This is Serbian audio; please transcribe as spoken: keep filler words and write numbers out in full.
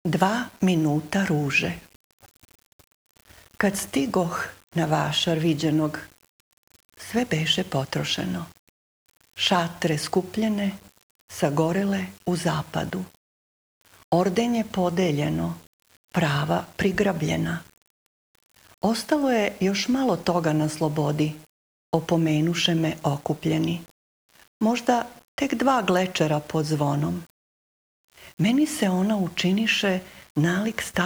Dva minuta ruže. Kad stigoh na vašar viđenog, sve beše potrošeno. Šatre skupljene, sagorele u zapadu. Ordenje podeljeno, prava prigrabljena. Ostalo je još malo toga na slobodi, opomenuše me okupljeni. Možda tek dva glečera pod zvonom. Meni se ona učiniše nalik staklenog